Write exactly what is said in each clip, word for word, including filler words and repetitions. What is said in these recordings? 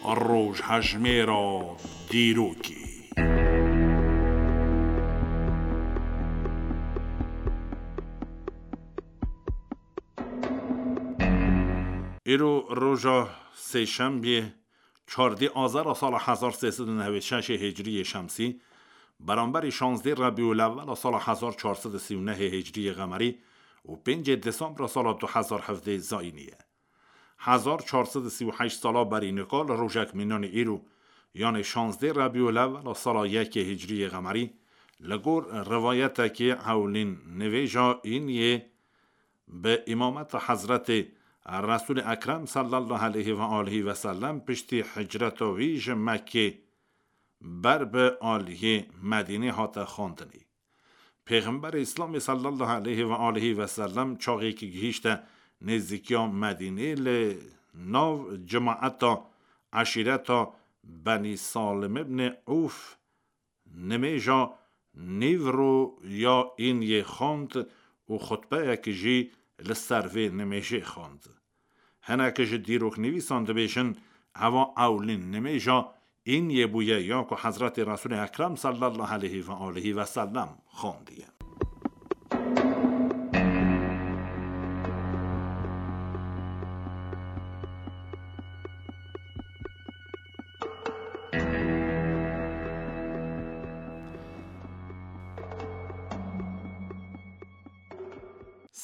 Rojhejmêra dîrokê. Îro roja sêşembiyê, çardê azara sala hezar sê sed û newêd şeşê hicriyê şemsî, beramberî şazdê Rebîulewwela sala hezar çar sed û sî û nehê hicriyê qemerî û pêncê Desembra sala du hezar hevdeh zayînî ye. Hezar çar sed û sî û heşt sala berî nika li rojek mînanî îro, yanê şazdê Rebîulewwela sala yekê hicriyê qemerî, li gor rivayetekê ewlîn nivêja Îniyê bi îmameta Hezretê Resûlê Ekrem sallallahu aleyhi ve aleyhi ve sellem piştî hicreta wî ji Mekkê ber bi aliyê Medînê hate xwendinê. Pêxemberê Îslamê sallallahu aleyhi ve aleyhi ve sellem çaxê ki gihîşte nêzîkiya Medînê, li nav cemaeta eşîreta Benî Salim ibn Ûf nimêja nîvro ya Îniyê xwend û xutbeyek jî li ser vê nimêjê xwend. Hinek ji dîroknivîsan dibêjin, eva ewlîn nimêja Îniyê bûye ya ku Hezretê Resûlê Ekrem sallallahu aleyhi ve aleyhi ve sellem xwendiye.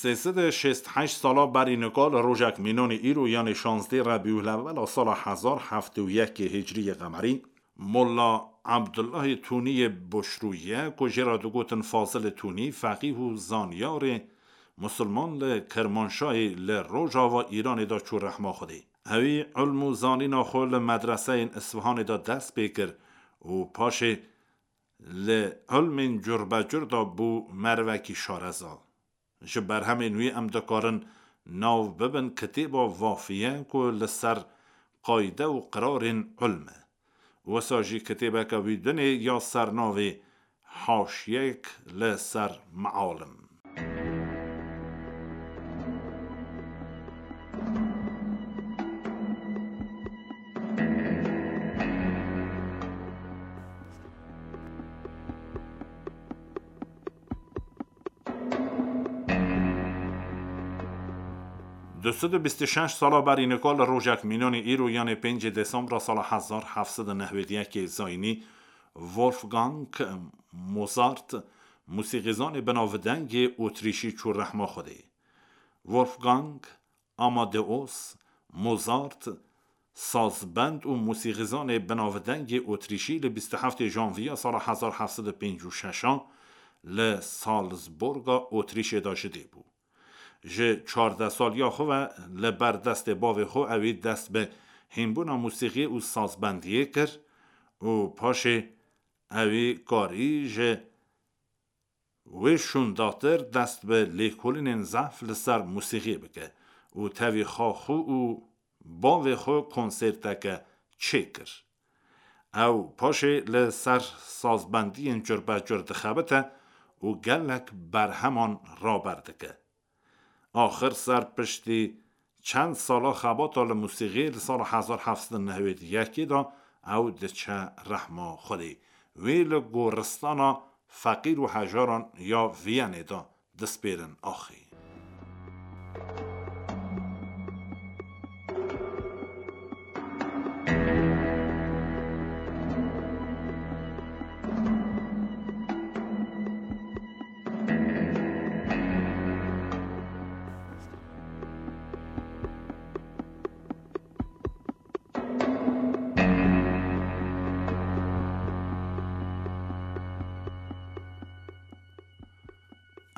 Sê sed û şêst heşt sala berî nika li rojek mînanî îro, yanê şazdê Rebîulewwela sala hezar heft û yekê hicriyê qemerî, Molla Abdullahê Tuniyê Boşrûye, ku jê re digotin Fazilê Tunî, feqîh û zanyarê musulman li Kirmanşahê li rojava Îranê de çû rehma Xwedê. Ewî ilm û zanîna xwe li medreseyên Isfihanê de dest pê kir û paşê li ilmên curbecur de bû merivekî şareza. Ji berhemên wî em dikarin nav bibin kitêba Vafiye ku li ser qayde û qirarên ilm e. Wisa jî kitêbeke wî dinê ya sernavê Haşiyek li ser Mealim. Du sed û bîst û şeş sala berî nika li rojek mînanî îro, yanê pêncê Desembra sala hezar heft sed û newêd yekê zayînî, Wolfgang Mozart, musîqîzanê binavdengê Otrîşî çû rehma Xwedê. Wolfgang Amadeus Mozart, sazbend û musîqîzanê binavdengê Otrîşî, li bîst û heftê Janviya sala hezar heft sed û pêncî û şeş a li Salzburga Otrîşê de ji dê bû. Ji çardeh saliya xwe ve li ber destê bavê xwe ewî dest bi hînbûna musîqiyê û sazbendiyê kir û paşê ewî karî ji wê şûndatir dest bi lêkolînên zehf li ser musîqiyê bike û tevî xwe xwe û bavê xwe konserteke çêkir. Ew paşê li ser sazbendiyên curbecur dixebite û gelek berheman raber dike. Axir ser piştî çend sala xebata li musîqiyê, li sala hezar heft sed û newêd yekê de ew diçe rehma Xwedê. Wê li goristana feqîr û hejaran ya Viyanê de dispêrin axê.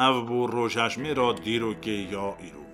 Ev bû rojhejmêra dîrokê ya îro.